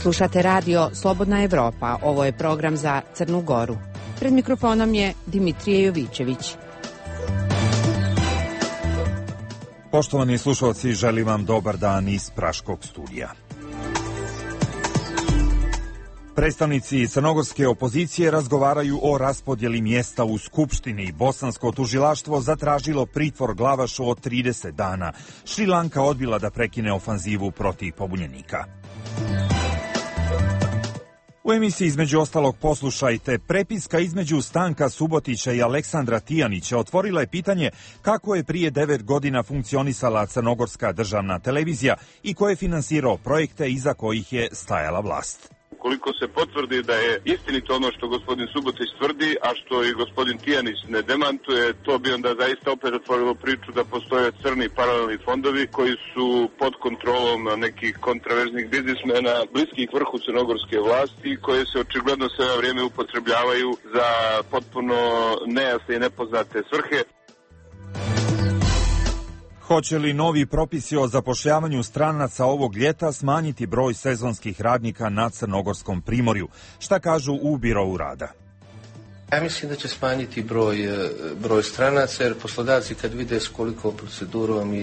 Slušate radio Slobodna Evropa. Ovo je program za Crnu Goru. Pred mikrofonom je Dimitrije Jovićević. Poštovani slušalci, želim vam dobar dan iz Praškog studija. Predstavnici crnogorske opozicije razgovaraju o raspodjeli mjesta u Skupštini. Bosansko tužilaštvo zatražilo pritvor Glavašu od 30 dana. Šrilanka odbila da prekine ofanzivu protiv pobunjenika. U emisiji između ostalog poslušajte, prepiska između Stanka Subotića i Aleksandra Tijanića otvorila je pitanje kako je prije 9 godina funkcionisala crnogorska državna televizija i ko je finansirao projekte iza kojih je stajala vlast. Ukoliko se potvrdi da je istinito ono što gospodin Subotić tvrdi, a što i gospodin Tijanić ne demantuje, to bi onda zaista opet otvorilo priču da postoje crni paralelni fondovi koji su pod kontrolom nekih kontraverznih biznismena bliskih vrhu crnogorske vlasti, koje se očigledno sve vrijeme upotrebljavaju za potpuno nejasne i nepoznate svrhe. Hoće li novi propisi o zapošljavanju stranaca ovog ljeta smanjiti broj sezonskih radnika na Crnogorskom primorju? Šta kažu u Birou rada? Ja mislim da će smanjiti broj stranaca, jer poslodavci kad vide s kolikom procedurom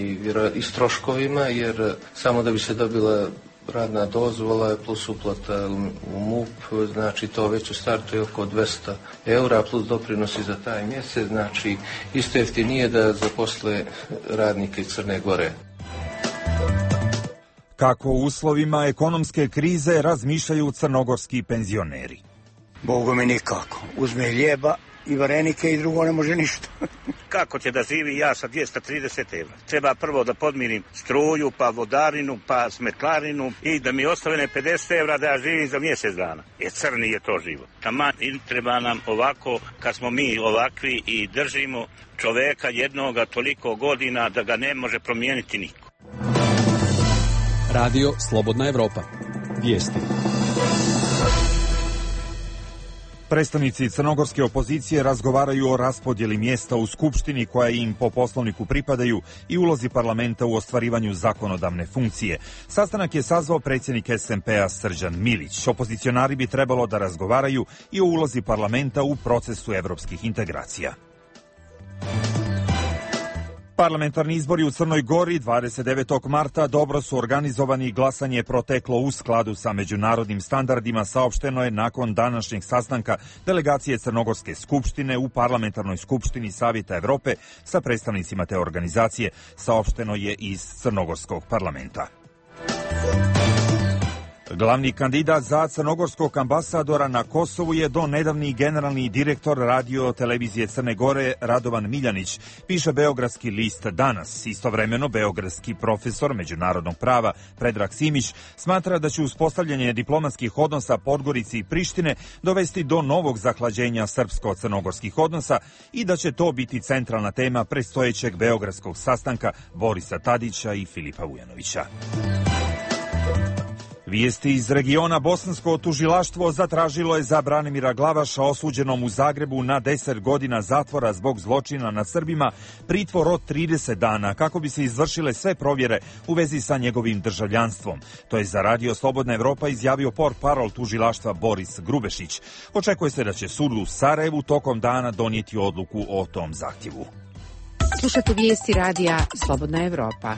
i s troškovima, jer samo da bi se dobila radna dozvola plus uplata u MUP, znači to već u startu je oko 200 eura plus doprinosi za taj mjesec, znači isto jeftinije da zaposle radnike iz Crne Gore. Kako u uslovima ekonomske krize razmišljaju crnogorski penzioneri? Bogu mi nikako. Uzme hljeba i varenike i drugo ne može ništa. Kako će da živi ja sa 230 evra? Treba prvo da podmirim struju, pa vodarinu, pa smetlarinu i da mi ostane 50 evra da ja živim za mjesec dana. Crni je to život. Taman treba nam ovako, kad smo mi ovakvi i držimo čoveka jednoga toliko godina da ga ne može promijeniti niko. Radio Slobodna Evropa. Vijesti. Predstavnici crnogorske opozicije razgovaraju o raspodjeli mjesta u Skupštini koja im po poslovniku pripadaju i ulozi parlamenta u ostvarivanju zakonodavne funkcije. Sastanak je sazvao predsjednik SMP-a Srđan Milić. Opozicionari bi trebalo da razgovaraju i o ulozi parlamenta u procesu evropskih integracija. Parlamentarni izbori u Crnoj Gori 29. marta dobro su organizovani i glasanje je proteklo u skladu sa međunarodnim standardima, saopšteno je nakon današnjeg sastanka delegacije Crnogorske skupštine u Parlamentarnoj skupštini Savjeta Evrope sa predstavnicima te organizacije, saopšteno je iz Crnogorskog parlamenta. Glavni kandidat za crnogorskog ambasadora na Kosovu je do nedavni generalni direktor radio televizije Crne Gore Radovan Miljanić, piše beogradski list Danas. Istovremeno, beogradski profesor međunarodnog prava Predrag Simić smatra da će uspostavljanje diplomatskih odnosa Podgorici i Prištine dovesti do novog zahlađenja srpsko-crnogorskih odnosa i da će to biti centralna tema predstojećeg beogradskog sastanka Borisa Tadića i Filipa Vujanovića. Vijesti iz regiona. Bosansko tužilaštvo zatražilo je za Branimira Glavaša, osuđenom u Zagrebu na 10 godina zatvora zbog zločina nad Srbima, pritvor od 30 dana kako bi se izvršile sve provjere u vezi sa njegovim državljanstvom. To je za Radio Slobodna Evropa izjavio portparol tužilaštva Boris Grubešić. Očekuje se da će sud u Sarajevu tokom dana donijeti odluku o tom zahtjevu. Slušate vijesti radija Slobodna Evropa.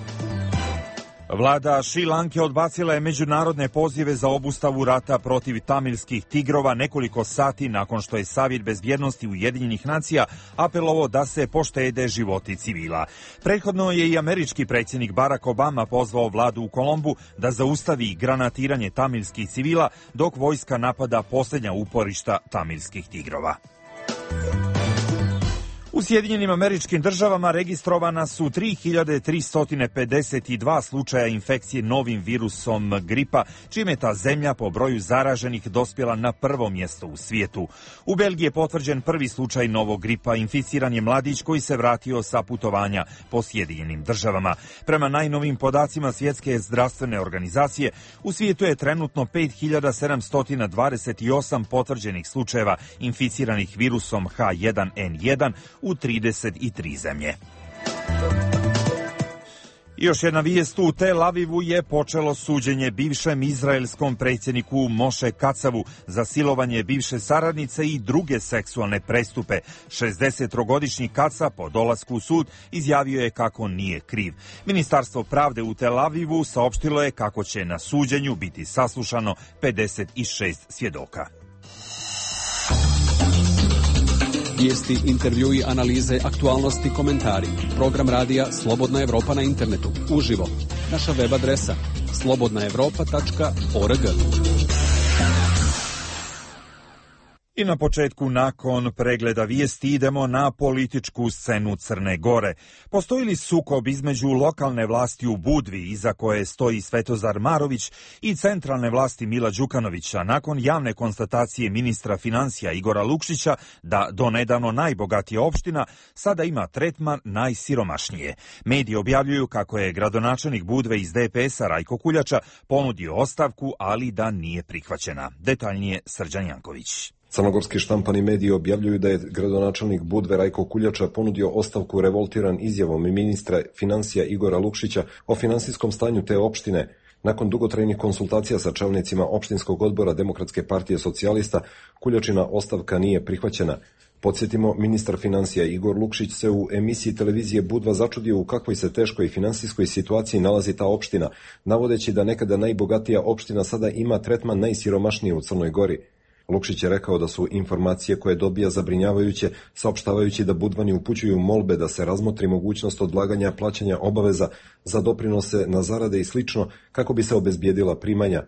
Vlada Šrilanke odbacila je međunarodne pozive za obustavu rata protiv tamilskih tigrova nekoliko sati nakon što je Savjet bezbjednosti Ujedinjenih nacija apelovao da se poštede životi civila. Prethodno je i američki predsjednik Barack Obama pozvao vladu u Kolombu da zaustavi granatiranje tamilskih civila dok vojska napada posljednja uporišta tamilskih tigrova. U Sjedinjenim Američkim Državama registrovana su 3352 slučaja infekcije novim virusom gripa, čime je ta zemlja po broju zaraženih dospjela na prvo mjesto u svijetu. U Belgiji je potvrđen prvi slučaj novog gripa, inficiran je mladić koji se vratio sa putovanja po Sjedinjenim Državama. Prema najnovim podacima Svjetske zdravstvene organizacije, u svijetu je trenutno 5728 potvrđenih slučajeva inficiranih virusom H1N1 u 33 zemlje. I još jedna vijest, u Tel Avivu je počelo suđenje bivšem izraelskom predsjedniku Moše Katsavu za silovanje bivše saradnice i druge seksualne prestupe. 63-godišnji Katsav po dolasku u sud izjavio je kako nije kriv. Ministarstvo pravde u Tel Avivu saopštilo je kako će na suđenju biti saslušano 56 svjedoka. Vijesti, intervjui, analize, aktualnosti, komentari. Program radija Slobodna Evropa na internetu. Uživo. Naša web adresa slobodnaevropa.org. I na početku, nakon pregleda vijesti, idemo na političku scenu Crne Gore. Postoji li sukob između lokalne vlasti u Budvi, iza koje stoji Svetozar Marović, i centralne vlasti Mila Đukanovića, nakon javne konstatacije ministra financija Igora Lukšića da donedavno najbogatija opština sada ima tretman najsiromašnije? Mediji objavljuju kako je gradonačelnik Budve iz DPS-a Rajko Kuljača ponudio ostavku, ali da nije prihvaćena. Detaljnije Srđan Janković. Crnogorski štampani mediji objavljuju da je gradonačelnik Budve Rajko Kuljača ponudio ostavku revoltiran izjavom ministra financija Igora Lukšića o finansijskom stanju te opštine. Nakon dugotrajnih konsultacija sa čelnicima opštinskog odbora Demokratske partije socijalista, Kuljačina ostavka nije prihvaćena. Podsjetimo, ministar financija Igor Lukšić se u emisiji televizije Budva začudio u kakvoj se teškoj finansijskoj situaciji nalazi ta opština, navodeći da nekada najbogatija opština sada ima tretman najsiromašnije u Crnoj Gori. Lukšić je rekao da su informacije koje dobija zabrinjavajuće, saopštavajući da Budvani upućuju molbe da se razmotri mogućnost odlaganja plaćanja obaveza za doprinose na zarade i slično kako bi se obezbijedila primanja.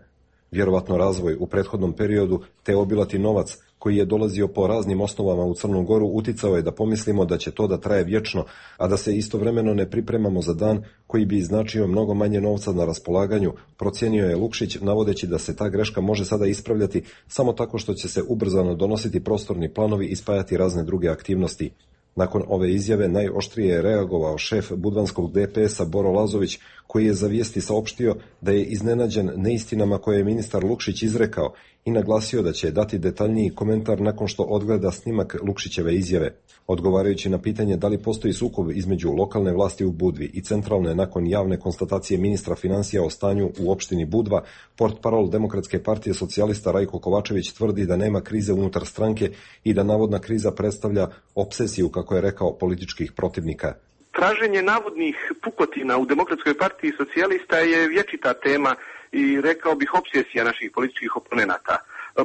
Vjerovatno razvoj u prethodnom periodu te obilati novac koji je dolazio po raznim osnovama u Crnu Goru uticao je da pomislimo da će to da traje vječno, a da se istovremeno ne pripremamo za dan koji bi značio mnogo manje novca na raspolaganju, procijenio je Lukšić, navodeći da se ta greška može sada ispravljati samo tako što će se ubrzano donositi prostorni planovi i spajati razne druge aktivnosti. Nakon ove izjave najoštrije je reagovao šef budvanskog DPS-a Boro Lazović, koji je za vijesti saopštio da je iznenađen neistinama koje je ministar Lukšić izrekao i naglasio da će dati detaljniji komentar nakon što odgleda snimak Lukšićeve izjave. Odgovarajući na pitanje da li postoji sukob između lokalne vlasti u Budvi i centralne nakon javne konstatacije ministra financija o stanju u opštini Budva, portparol Demokratske partije socijalista Rajko Kovačević tvrdi da nema krize unutar stranke i da navodna kriza predstavlja opsesiju, kako je rekao, političkih protivnika. Traženje navodnih pukotina u Demokratskoj partiji socijalista je vječita tema i rekao bih opsesija naših političkih oponenata.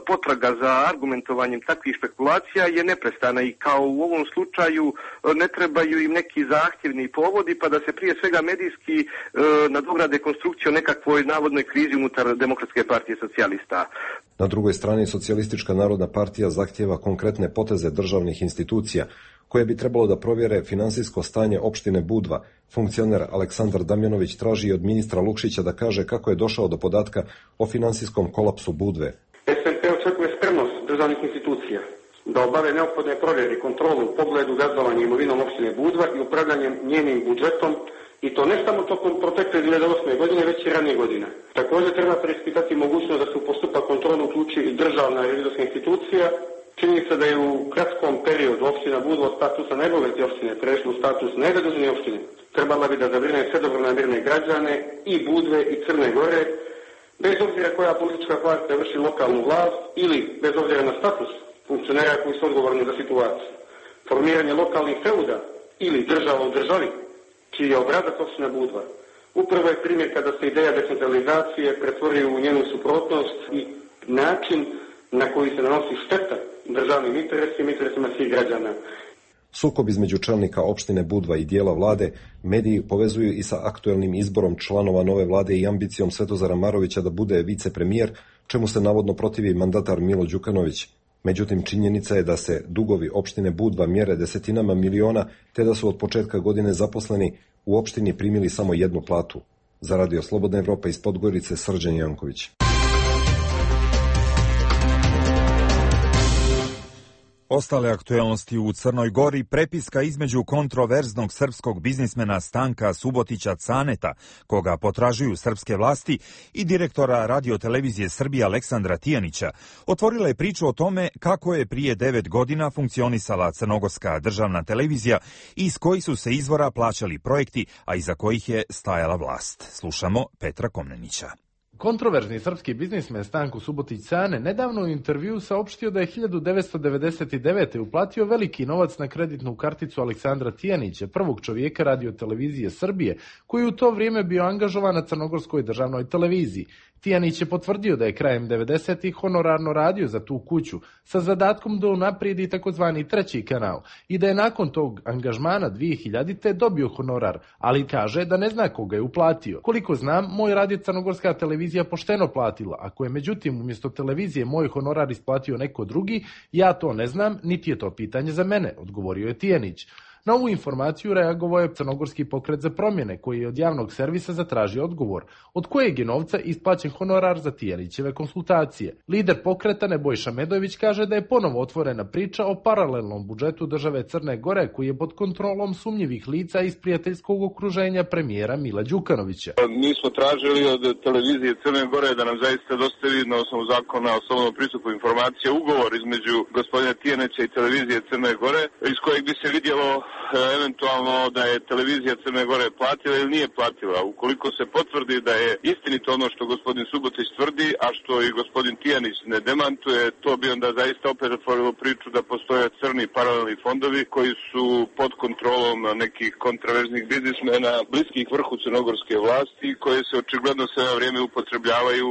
Potraga za argumentovanjem takvih špekulacija je neprestana i kao u ovom slučaju ne trebaju im neki zahtjevni povodi pa da se prije svega medijski nadograde konstrukciju o nekakvoj navodnoj krizi unutar Demokratske partije socijalista. Na drugoj strani Socijalistička narodna partija zahtjeva konkretne poteze državnih institucija koje bi trebalo da provjere finansijsko stanje opštine Budva. Funkcioner Aleksandar Damjanović traži od ministra Lukšića da kaže kako je došao do podatka o finansijskom kolapsu Budve. SMP očekuje spremnost državnih institucija da obave neophodne provjere i kontrolu u pogledu gazdovanja imovinom opštine Budva i upravljanjem njenim budžetom, i to ne samo tokom protekle 2008. godine, već i ranije godine. Također treba preispitati mogućnost da se u postupak kontrolu uključi i državna revizorska institucija. Čini se da je u kratkom periodu opština Budva od statusa najbogatije opštine prešla u status najzaduženije opštine. Trebala bi da zabrine sve dobronamjerne građane i Budve i Crne Gore, bez obzira koja politička partija vrši lokalnu vlast ili bez obzira na status funkcionera koji su odgovorni za situaciju. Formiranje lokalnih feuda ili država u državi, čiji je obrazac opština Budva, upravo je primjer kada se ideja decentralizacije pretvori u njenu suprotnost i način na koji se nanosi šteta državnim interesima svih građana. Sukob između čelnika opštine Budva i dijela vlade mediji povezuju i sa aktuelnim izborom članova nove vlade i ambicijom Svetozara Marovića da bude vicepremijer, čemu se navodno protivi mandatar Milo Đukanović. Međutim, činjenica je da se dugovi opštine Budva mjere desetinama miliona, te da su od početka godine zaposleni u opštini primili samo jednu platu. Za Radio Slobodna Evropa iz Podgorice, Srđan Janković. Ostale aktuelnosti u Crnoj Gori, prepiska između kontroverznog srpskog biznismena Stanka Subotića Caneta, koga potražuju srpske vlasti, i direktora radiotelevizije Srbije Aleksandra Tijanića, otvorila je priču o tome kako je prije 9 godina funkcionisala crnogorska državna televizija i iz kojih su se izvora plaćali projekti, a iza kojih je stajala vlast. Slušamo Petra Komnenića. Kontroverzni srpski biznismen Stanko Subotić Cane nedavno u intervjuu saopštio da je 1999. uplatio veliki novac na kreditnu karticu Aleksandra Tijanića, prvog čovjeka radiotelevizije Srbije, koji u to vrijeme bio angažovan na crnogorskoj državnoj televiziji. Tijanić je potvrdio da je krajem 90-ih honorarno radio za tu kuću sa zadatkom da unaprijedi takozvani treći kanal i da je nakon tog angažmana 2000-te dobio honorar, ali kaže da ne zna koga je uplatio. Koliko znam, moj rad je crnogorska televizija pošteno platila. Ako je međutim umjesto televizije moj honorar isplatio neko drugi, ja to ne znam, niti je to pitanje za mene, odgovorio je Tijanić. Na ovu informaciju reagovao je Crnogorski pokret za promjene, koji je od javnog servisa zatražio odgovor, od kojeg je novca isplaćen honorar za Tijanićeve konsultacije. Lider pokreta Nebojša Medojević kaže da je ponovo otvorena priča o paralelnom budžetu države Crne Gore, koji je pod kontrolom sumnjivih lica iz prijateljskog okruženja premijera Mila Đukanovića. Mi smo tražili od televizije Crne Gore da nam zaista dostavi na osnovu zakona o slobodnom pristupu informacija ugovor između gospodina Tijanića i televizije Crne Gore, iz kojeg bi se vidjelo eventualno da je televizija Crne Gore platila ili nije platila. Ukoliko se potvrdi da je istinito ono što gospodin Subotić tvrdi, a što i gospodin Tijanić ne demantuje, to bi onda zaista opet otvorilo priču da postoje crni paralelni fondovi koji su pod kontrolom nekih kontraverznih biznismena bliskih vrhu crnogorske vlasti, koje se očigledno sve vrijeme upotrebljavaju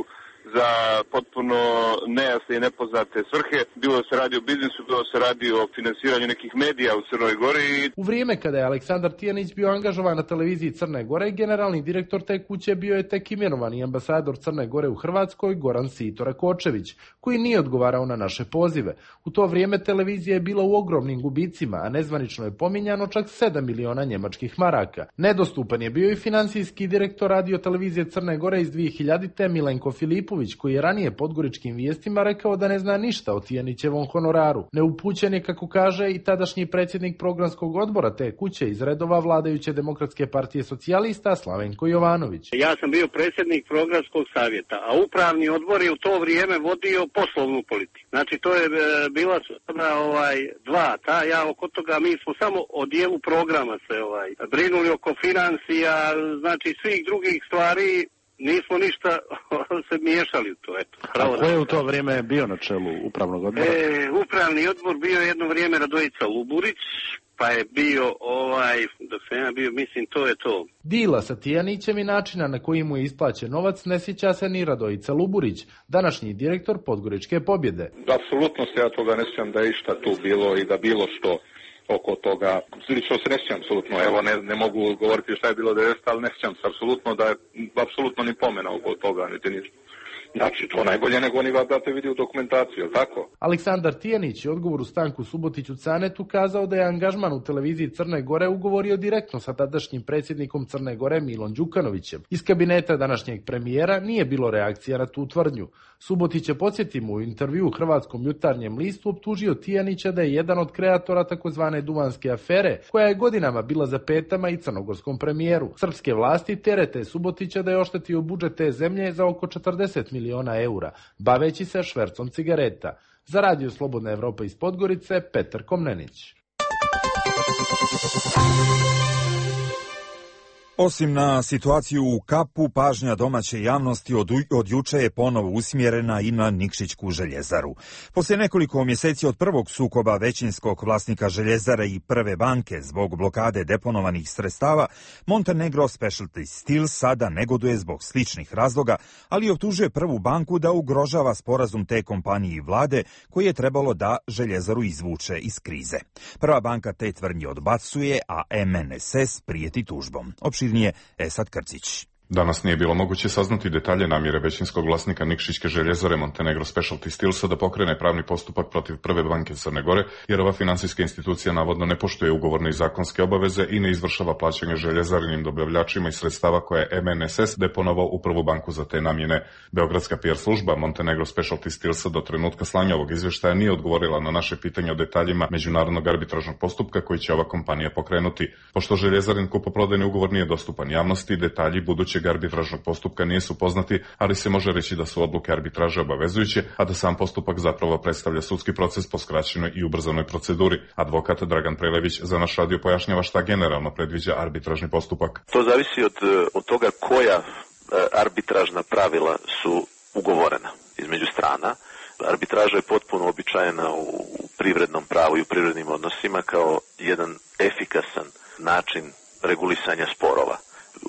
za potpuno nejasne i nepoznate svrhe. Bilo se radi o biznisu, bilo se radi o finansiranju nekih medija u Crnoj Gori. U vrijeme kada je Aleksandar Tijanić bio angažovan na televiziji Crne Gore, generalni direktor te kuće bio je tek imenovani ambasador Crne Gore u Hrvatskoj Goran Sito Rakočević, koji nije odgovarao na naše pozive. U to vrijeme televizija je bila u ogromnim gubicima, a nezvanično je pominjano čak 7 miliona njemačkih maraka. Nedostupan je bio i financijski direktor radiotelevizije Crne Gore iz 2000-te Milenko Filipović, koji je ranije Podgoričkim vijestima rekao da ne zna ništa o Tijanićevom honoraru. Neupućen je, kako kaže, i tadašnji predsjednik programskog odbora te kuće iz redova vladajuće Demokratske partije socijalista Slavenko Jovanović. Ja sam bio predsjednik programskog savjeta, a upravni odbor je u to vrijeme vodio poslovnu politiku. Znači to je bila dva, ja oko toga mi smo samo o dijelu programa se brinuli oko financija, znači svih drugih stvari. Nismo ništa se miješali u to. A ko je u to vrijeme bio na čelu upravnog odbora? Upravni odbor bio jedno vrijeme Radojica Luburić, pa je bio dok sam ja bio, mislim to je to. Dila sa Tijanićem i načina na koji mu je isplaćen novac ne sjeća se ni Radojica Luburić, današnji direktor Podgoričke Pobjede. Apsolutno se ja toga ne sjećam da je išta tu bilo i da bilo što oko toga. Lično se ne sjećam apsolutno, evo ne mogu govoriti šta je bilo 90, ali ne sjećam se apsolutno da je apsolutno ni pomena oko toga, niti ništa. Znači, to najbolje nego oni da te vidi u dokumentaciju, tako? Aleksandar Tijanić je odgovoru Stanku Subotiću Canetu kazao da je angažman u televiziji Crne Gore ugovorio direktno sa tadašnjim predsjednikom Crne Gore Milom Đukanovićem. Iz kabineta današnjeg premijera nije bilo reakcija na tu tvrdnju. Subotić je, podsjetimo, u intervju u Hrvatskom jutarnjem listu optužio Tijanića da je jedan od kreatora takozvane duvanske afere, koja je godinama bila za petama i crnogorskom premijeru. Srpske vlasti terete Subotića da je oštetio budžet te zemlje za oko 40 miliona eura, baveći se švercom cigareta. Za Radio Slobodna Evropa iz Podgorice, Petar Komnenić. Osim na situaciju u Kapu, pažnja domaće javnosti od juče je ponovo usmjerena i na Nikšićku željezaru. Poslije nekoliko mjeseci od prvog sukoba većinskog vlasnika željezare i Prve banke zbog blokade deponovanih sredstava, Montenegro Specialty Steel sada negoduje zbog sličnih razloga, ali optužuje Prvu banku da ugrožava sporazum te kompanije i vlade koji je trebalo da željezaru izvuče iz krize. Prva banka te tvrdnje odbacuje, a MNSS prijeti tužbom. Opširnije Esad Krcić. Danas nije bilo moguće saznati detalje namjere većinskog vlasnika Nikšićke željezare Montenegro Specialty Steelsa da pokrene pravni postupak protiv Prve banke Crne Gore, jer ova finansijska institucija navodno ne poštuje ugovorne i zakonske obaveze i ne izvršava plaćanje željezarinim dobavljačima iz sredstava koje je MNSS deponovao u Prvu banku za te namjene. Beogradska PR služba Montenegro Specialty Steelsa do trenutka slanja ovog izvještaja nije odgovorila na naše pitanje o detaljima međunarodnog arbitražnog postupka koji će ova kompanija pokrenuti. Pošto željezarin kupoprodajni ugovor nije dostupan javnosti, detalji budućeg arbitražnog postupka nisu poznati, ali se može reći da su odluke arbitraže obavezujuće, a da sam postupak zapravo predstavlja sudski proces po skraćenoj i ubrzanoj proceduri. Advokat Dragan Prelević za naš radio pojašnjava šta generalno predviđa arbitražni postupak. To zavisi od toga koja arbitražna pravila su ugovorena između strana. Arbitraža je potpuno običajena u privrednom pravu i u privrednim odnosima kao jedan efikasan način regulisanja sporova.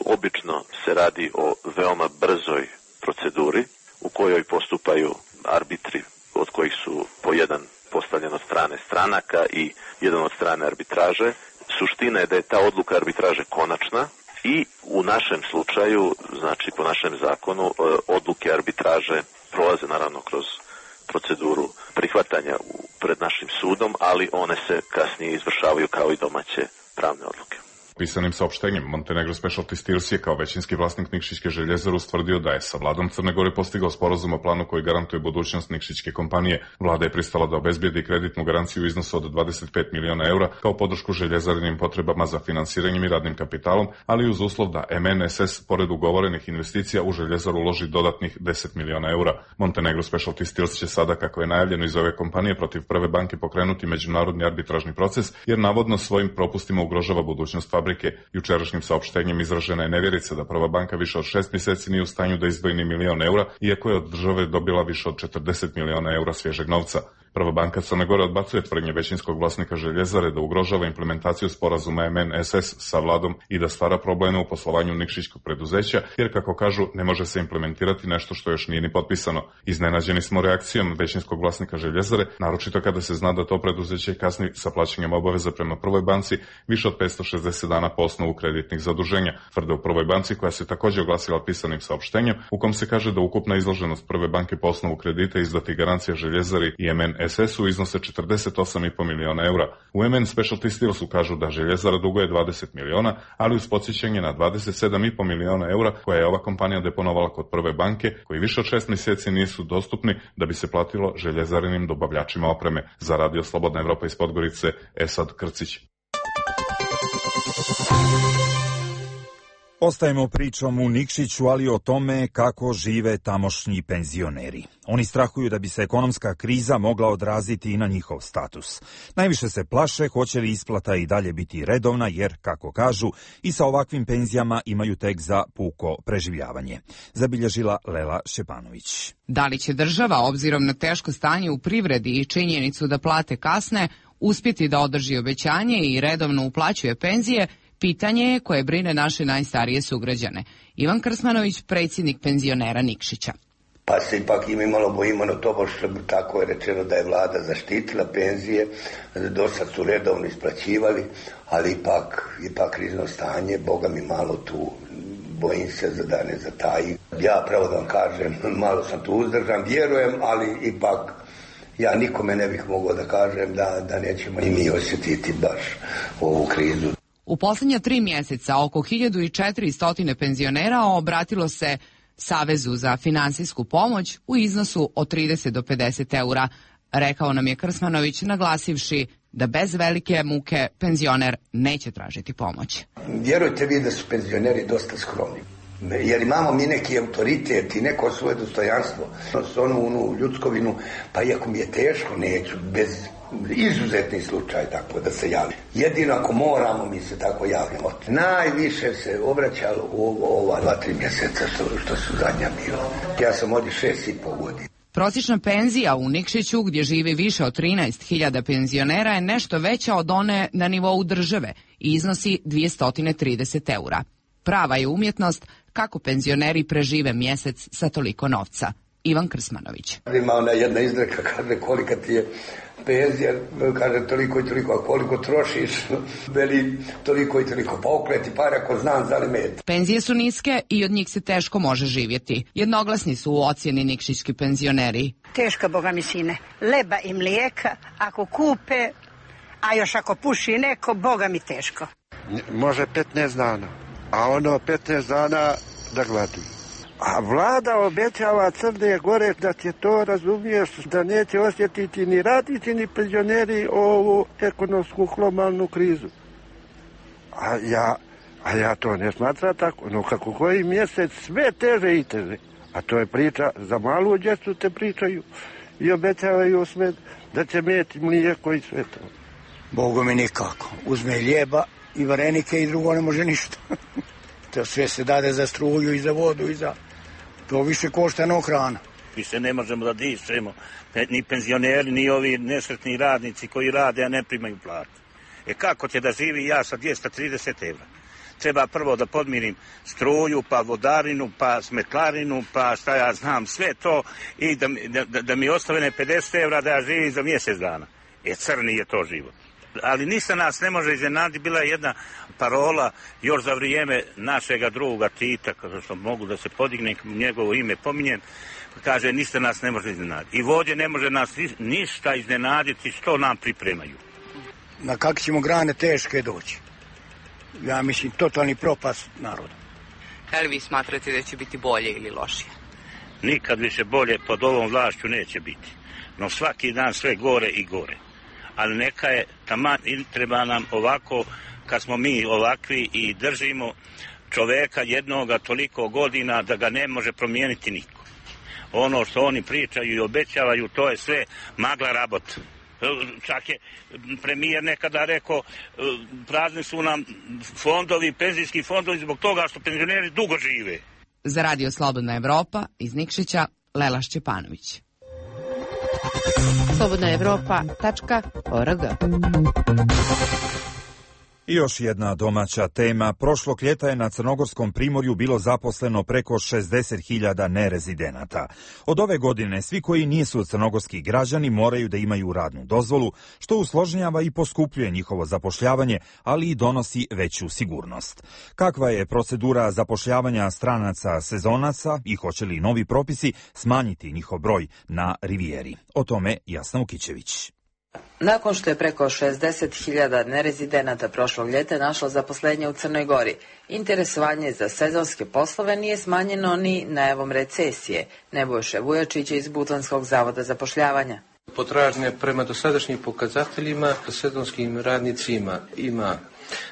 Obično se radi o veoma brzoj proceduri u kojoj postupaju arbitri od kojih su po jedan postavljen od strane stranaka i jedan od strane arbitraže. Suština je da je ta odluka arbitraže konačna i u našem slučaju, znači po našem zakonu, odluke arbitraže prolaze naravno kroz proceduru prihvatanja pred našim sudom, ali one se kasnije izvršavaju kao i domaće pravne odluke. Pisanim saopštenjem Montenegro Specialty Steels je kao većinski vlasnik Nikšićke željezare ustvrdio da je sa vladom Crne Gore postigao sporazum o planu koji garantuje budućnost Nikšićke kompanije. Vlada je pristala da obezbijedi kreditnu garanciju u iznosu od 25 miliona eura kao podršku željezarinim potrebama za finansiranjem i radnim kapitalom, ali uz uslov da MNSS pored ugovorenih investicija u željezaru uloži dodatnih 10 miliona eura. Montenegro Specialty Steels će sada, kako je najavljeno iz ove kompanije, protiv Prve banke pokrenuti međunarodni arbitražni proces, jer navodno svojim propustima ugrožava budućnost fabrike. Jučerašnjim saopštenjem izražena je nevjerica da Prva banka više od 6 mjeseci nije u stanju da izdvoji ni $1 milion, iako je od države dobila više od 40 miliona eura svježeg novca. Prva banka Crne Gore odbacuje tvrdnje većinskog vlasnika željezare da ugrožava implementaciju sporazuma MNSS sa vladom i da stvara probleme u poslovanju nikšićkog preduzeća, jer kako kažu ne može se implementirati nešto što još nije ni potpisano. Iznenađeni smo reakcijom većinskog vlasnika željezare, naročito kada se zna da to preduzeće kasni sa plaćanjem obaveza prema Prvoj banci više od 560 dana po osnovu kreditnih zaduženja, tvrde u Prvoj banci, koja se također oglasila pisanim saopštenjem u kom se kaže da ukupna izloženost Prve banke po osnovu kredita izdati garancija željezari i MNSS-u iznose 48,5 miliona eura. U MN Specialty Steelsu kažu da željezara duguje 20 miliona, ali uz podsjećanje na 27,5 miliona eura koje je ova kompanija deponovala kod Prve banke, koji više od 6 mjeseci nisu dostupni da bi se platilo željezarinim dobavljačima opreme. Za Radio Slobodna Evropa iz Podgorice, Esad Krcić. Ostajemo pričom u Nikšiću, ali o tome kako žive tamošnji penzioneri. Oni strahuju da bi se ekonomska kriza mogla odraziti i na njihov status. Najviše se plaše hoće li isplata i dalje biti redovna, jer, kako kažu, i sa ovakvim penzijama imaju tek za puko preživljavanje. Zabilježila Lela Šepanović. Da li će država, obzirom na teško stanje u privredi i činjenicu da plate kasne, uspjeti da održi obećanje i redovno uplaćuje penzije, pitanje je koje brine naše najstarije sugrađane. Ivan Krsmanović, predsjednik penzionera Nikšića. Pa se ipak i mi malo bojimo na to, što tako je rečeno da je vlada zaštitila penzije, do sad su redovno isplaćivali, ali ipak krizno stanje, Boga mi malo tu, bojim se da ne zataji. Ja pravo da vam kažem, malo sam tu uzdržan, vjerujem, ali ipak ja nikome ne bih mogao da kažem da nećemo i mi osjetiti baš ovu krizu. U posljednja 3 mjeseca oko 1400 penzionera obratilo se Savezu za finansijsku pomoć u iznosu od 30 do 50 eura, rekao nam je Krsmanović, naglasivši da bez velike muke penzioner neće tražiti pomoć. Vjerujte vi da su penzioneri dosta skromni, jer imamo mi neki autoritet i neko svoje dostojanstvo, onu ljudskovinu, pa iako mi je teško, neću, bez izuzetni slučaj tako da se javi. Jedino ako moramo, mi se tako javljamo. Najviše se obraćalo ova 2-3 mjeseca što su zadnja bila. Ja sam ovdje 6,5 godina. Prosječna penzija u Nikšiću, gdje živi više od 13.000 penzionera, je nešto veća od one na nivou države i iznosi 230 eura. Prava je umjetnost kako penzioneri prežive mjesec sa toliko novca. Ivan Krsmanović. Ima ona jedna izreka, kaže kolika ti je penzija, kaže toliko i toliko, a koliko trošiš, veli toliko i toliko, pa okreti pare ako znam za li met. Penzije su niske i od njih se teško može živjeti. Jednoglasni su u ocjeni nikšićki penzioneri. Teška, boga mi sine, leba i mlijeka, ako kupe, a još ako puši neko, boga mi teško. Može 15 dana, a ono 15 dana da gladi. A vlada obećava Crne Gore da će to, razumiješ, da neće osjetiti ni radnici ni penzioneri ovu ekonomsku globalnu krizu. A ja to ne smatram tako. No kako koji mjesec sve teže i teže. A to je priča, za malu djecu te pričaju i obećavaju sve da će meti mlijeko i sve to. Bogu mi nikako. Uzme ljeba i varenike i drugo ne može ništa. To sve se dade za struju i za vodu i za... To više košta no hrana. Više ne možemo da dišemo, ni penzioneri, ni ovi nesretni radnici koji rade, a ne primaju platu. Kako će da živi ja sa 230 evra? Treba prvo da podmirim struju, pa vodarinu, pa smetlarinu, pa šta ja znam, sve to i da mi ostane 50 evra da ja živim za mjesec dana. Crni je to život. Ali ništa nas ne može iznenaditi. Bila je jedna parola još za vrijeme našega druga Tita, kada što mogu da se podigne, njegovo ime pominjem, kaže ništa nas ne može iznenaditi. I vođe ne može nas ništa iznenaditi što nam pripremaju. Na kakve ćemo grane teške doći? Ja mislim, totalni propast naroda. Da li vi smatrate da će biti bolje ili lošije? Nikad više bolje pod ovom vlašću neće biti. No svaki dan sve gore i gore. Ali neka je taman i treba nam ovako, kad smo mi ovakvi i držimo čoveka jednoga toliko godina da ga ne može promijeniti niko. Ono što oni pričaju i obećavaju, to je sve magla rabot. Čak je premijer nekada rekao, prazni su nam fondovi, penzijski fondovi zbog toga što penzioneri dugo žive. Za Radio Slobodna Evropa iz Nikšića, Lela Šćepanović. slobodnaevropa.org. I još jedna domaća tema. Prošlog ljeta je na Crnogorskom primorju bilo zaposleno preko 60.000 nerezidenata. Od ove godine svi koji nisu crnogorski građani moraju da imaju radnu dozvolu, što usložnjava i poskupljuje njihovo zapošljavanje, ali i donosi veću sigurnost. Kakva je procedura zapošljavanja stranaca sezonaca i hoće li novi propisi smanjiti njihov broj na Rivijeri? O tome Jasna Ukićević. Nakon što je preko 60.000 nerezidenata prošlog ljeta našlo zaposlenje u Crnoj Gori, interesovanje za sezonske poslove nije smanjeno ni najavom recesije. Nebojša Vujačić iz Budvanskog zavoda zapošljavanja. Potražnje prema dosadašnjim pokazateljima sezonskim radnicima ima.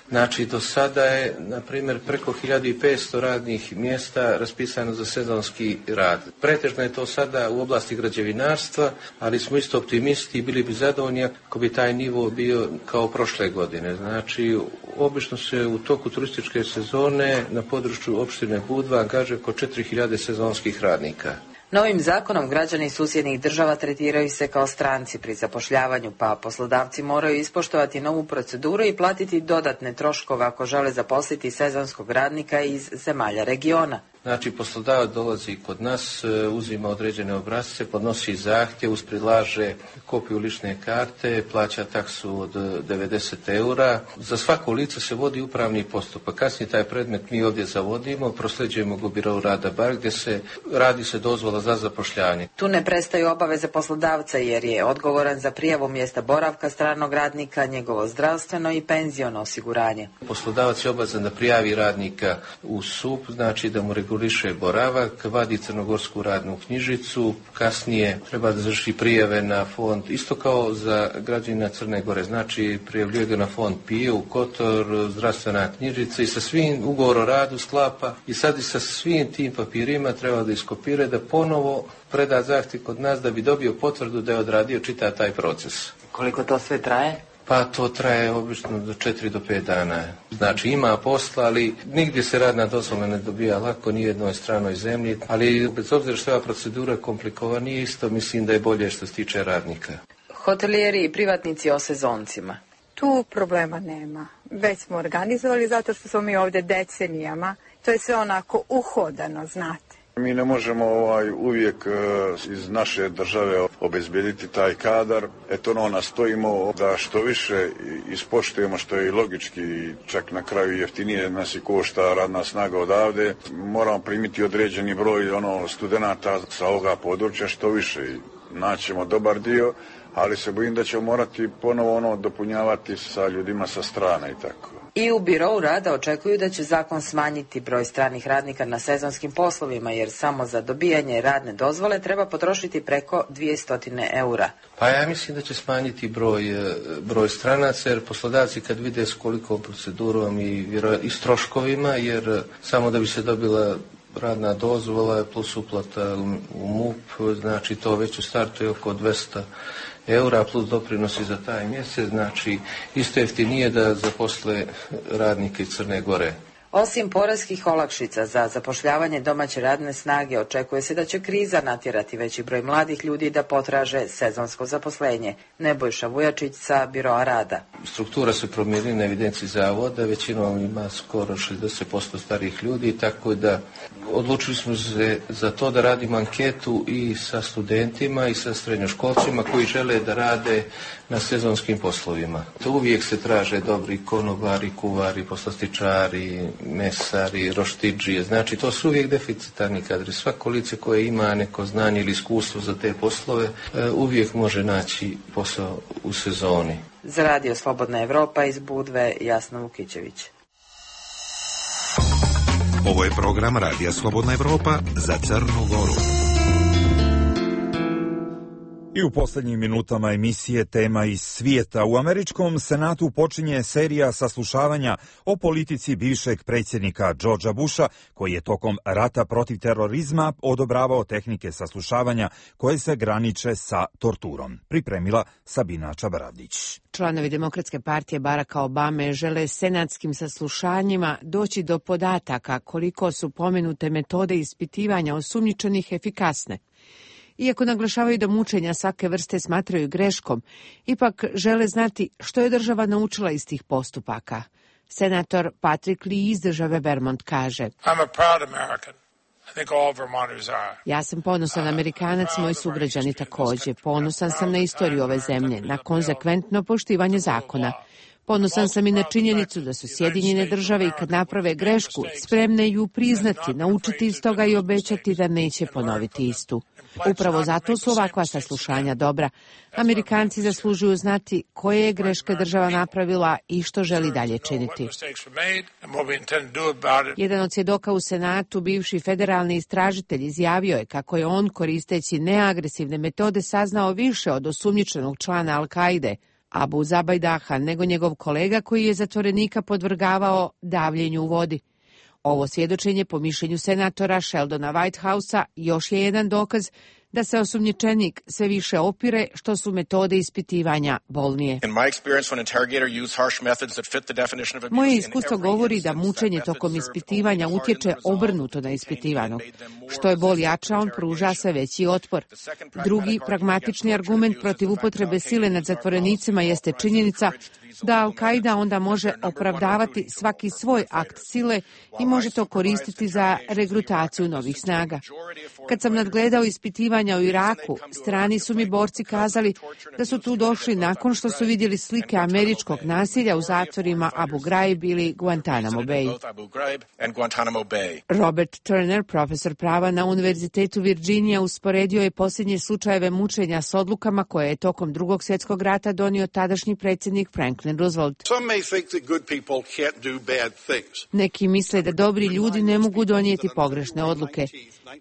Znači, do sada je, na primjer, preko 1500 radnih mjesta raspisano za sezonski rad. Pretežno je to sada u oblasti građevinarstva, ali smo isto optimisti i bili bi zadovoljni ako bi taj nivo bio kao prošle godine. Znači, obično se u toku turističke sezone na području opštine Budva angažuje oko 4000 sezonskih radnika. Novim zakonom građani susjednih država tretiraju se kao stranci pri zapošljavanju, pa poslodavci moraju ispoštovati novu proceduru i platiti dodatne troškove ako žele zaposliti sezonskog radnika iz zemalja regiona. Znači, poslodavac dolazi kod nas, uzima određene obrasce, podnosi zahtjev, prilaže kopiju lične karte, plaća taksu od 90 eura. Za svako lice se vodi upravni postupak. Kasnije taj predmet mi ovdje zavodimo, prosljeđujemo ga u birou rada bar gdje se radi se dozvola za zapošljavanje. Tu ne prestaju obaveze poslodavca jer je odgovoran za prijavu mjesta boravka stranog radnika, njegovo zdravstveno i penziono osiguranje. Poslodavac je obavezan da prijavi radnika u SUP, znači da mu reguliše boravak, vadi crnogorsku radnu knjižicu, kasnije treba da završi prijave na fond, isto kao za građanina Crne Gore, znači prijavljuje ga na fond PIE, u Kotor, zdravstvena knjižica i sa svim ugovor o radu sklapa i sad i sa svim tim papirima treba da iskopira da ponovo preda zahtjev kod nas da bi dobio potvrdu da je odradio čitav taj proces. Koliko to sve traje? Pa to traje obično do 4 do 5 dana. Znači ima posla, ali nigdje se radna dozvola ne dobija lako, ni jednoj stranoj zemlji. Ali bez obzira što je ova procedura komplikovanija, isto mislim da je bolje što se tiče radnika. Hotelijeri i privatnici o sezoncima. Tu problema nema. Već smo organizovali zato što smo mi ovdje decenijama. To je sve onako uhodano, znate. Mi ne možemo uvijek iz naše države obezbediti taj kadar. Eto, nastojimo da što više ispoštujemo, što je i logički, čak na kraju jeftinije nas i košta radna snaga odavde. Moramo primiti određeni broj studenata sa ovoga područja, što više. Naćemo dobar dio, ali se bojim da ćemo morati ponovo dopunjavati sa ljudima sa strane i tako. I u birou rada očekuju da će zakon smanjiti broj stranih radnika na sezonskim poslovima, jer samo za dobijanje radne dozvole treba potrošiti preko 200 eura. Pa ja mislim da će smanjiti broj stranaca, jer poslodavci kad vide s kolikom procedurom i s troškovima, jer samo da bi se dobila radna dozvola plus uplata u MUP, znači to već u startu je oko 200 eura plus doprinosi za taj mjesec, znači isto jeftinije da zaposle radnike iz Crne Gore. Osim poreskih olakšica za zapošljavanje domaće radne snage, očekuje se da će kriza natjerati veći broj mladih ljudi da potraže sezonsko zaposlenje. Nebojša Vujačić sa Biroa rada. Struktura se promijenila na evidenciji zavoda, većinom ima skoro 60% starih ljudi, tako da odlučili smo se za to da radimo anketu i sa studentima i sa srednjoškolcima koji žele da rade na sezonskim poslovima. To uvijek se traže dobri konobari, kuvari, poslastičari, mesari, roštidžije, znači to su uvijek deficitarni kadri. Svako lice koje ima neko znanje ili iskustvo za te poslove uvijek može naći posao u sezoni. Za Radio Slobodna Evropa iz Budve, Jasna Vukićević. Ovo je program Radija Slobodna Evropa za Crnu Goru. I u posljednjim minutama emisije Tema iz svijeta. U američkom senatu počinje serija saslušavanja o politici bivšeg predsjednika Georgea Busha, koji je tokom rata protiv terorizma odobravao tehnike saslušavanja koje se graniče sa torturom. Pripremila Sabina Čabaravdić. Članovi Demokratske partije Baracka Obame žele senatskim saslušanjima doći do podataka koliko su pomenute metode ispitivanja osumnjičenih efikasne. Iako naglašavaju da mučenja svake vrste smatraju greškom, ipak žele znati što je država naučila iz tih postupaka. Senator Patrick Lee iz države Vermont kaže: Ja sam ponosan Amerikanac, moji sugrađani također. Ponosan sam na istoriju ove zemlje, na konzekventno poštivanje zakona. Ponosan sam i na činjenicu da su Sjedinjene države i kad naprave grešku spremne ju priznati, naučiti iz toga i obećati da neće ponoviti istu. Upravo zato su ovakva saslušanja dobra. Amerikanci zaslužuju znati koje je greške država napravila i što želi dalje činiti. Jedan od svjedoka u Senatu, bivši federalni istražitelj, izjavio je kako je on, koristeći neagresivne metode, saznao više od osumnjičenog člana Al-Kaide, Abu Zabajdaha, nego njegov kolega koji je zatvorenika podvrgavao davljenju u vodi. Ovo svjedočenje, po mišljenju senatora Sheldona Whitehouse-a, još je jedan dokaz da se osumnjičenik sve više opire što su metode ispitivanja bolnije. Moje iskustvo govori da mučenje tokom ispitivanja utječe obrnuto na ispitivanog. Što je bol jača, on pruža sve veći otpor. Drugi pragmatični argument protiv upotrebe sile nad zatvorenicima jeste činjenica da Al-Kaida onda može opravdavati svaki svoj akt sile i može to koristiti za regrutaciju novih snaga. Kad sam nadgledao ispitivanja u Iraku, strani su mi borci kazali da su tu došli nakon što su vidjeli slike američkog nasilja u zatvorima Abu Ghraib ili Guantanamo Bay. Robert Turner, profesor prava na Univerzitetu Virginia, usporedio je posljednje slučajeve mučenja s odlukama koje je tokom Drugog svjetskog rata donio tadašnji predsjednik Franklin Roosevelt. Neki misle da dobri ljudi ne mogu donijeti pogrešne odluke.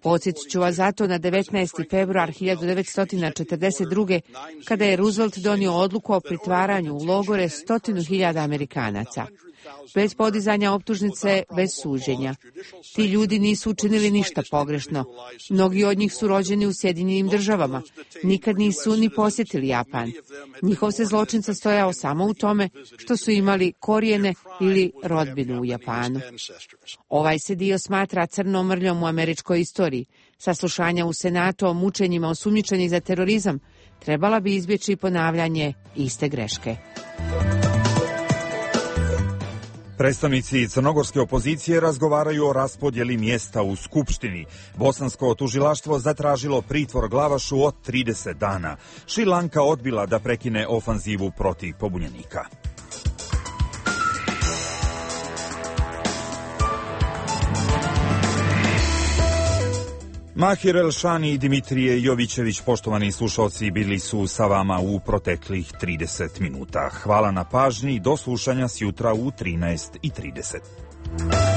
Podsjetit ću vas zato na 19. februar 1942. kada je Roosevelt donio odluku o pritvaranju u logore 100.000 Amerikanaca. Bez podizanja optužnice, bez suđenja. Ti ljudi nisu učinili ništa pogrešno. Mnogi od njih su rođeni u Sjedinjenim državama. Nikad nisu ni posjetili Japan. Njihov se zločin sastojao samo u tome što su imali korijene ili rodbinu u Japanu. Ovaj se dio smatra crnom mrljom u američkoj istoriji. Saslušanja u Senatu o mučenjima osumnjičenih za terorizam trebala bi izbjeći ponavljanje iste greške. Predstavnici crnogorske opozicije razgovaraju o raspodjeli mjesta u Skupštini. Bosansko tužilaštvo zatražilo pritvor Glavašu od 30 dana. Šrilanka odbila da prekine ofanzivu protiv pobunjenika. Mahir Elšani i Dimitrije Jovićević, poštovani slušalci, bili su sa vama u proteklih 30 minuta. Hvala na pažnji, do slušanja sjutra u 13:30.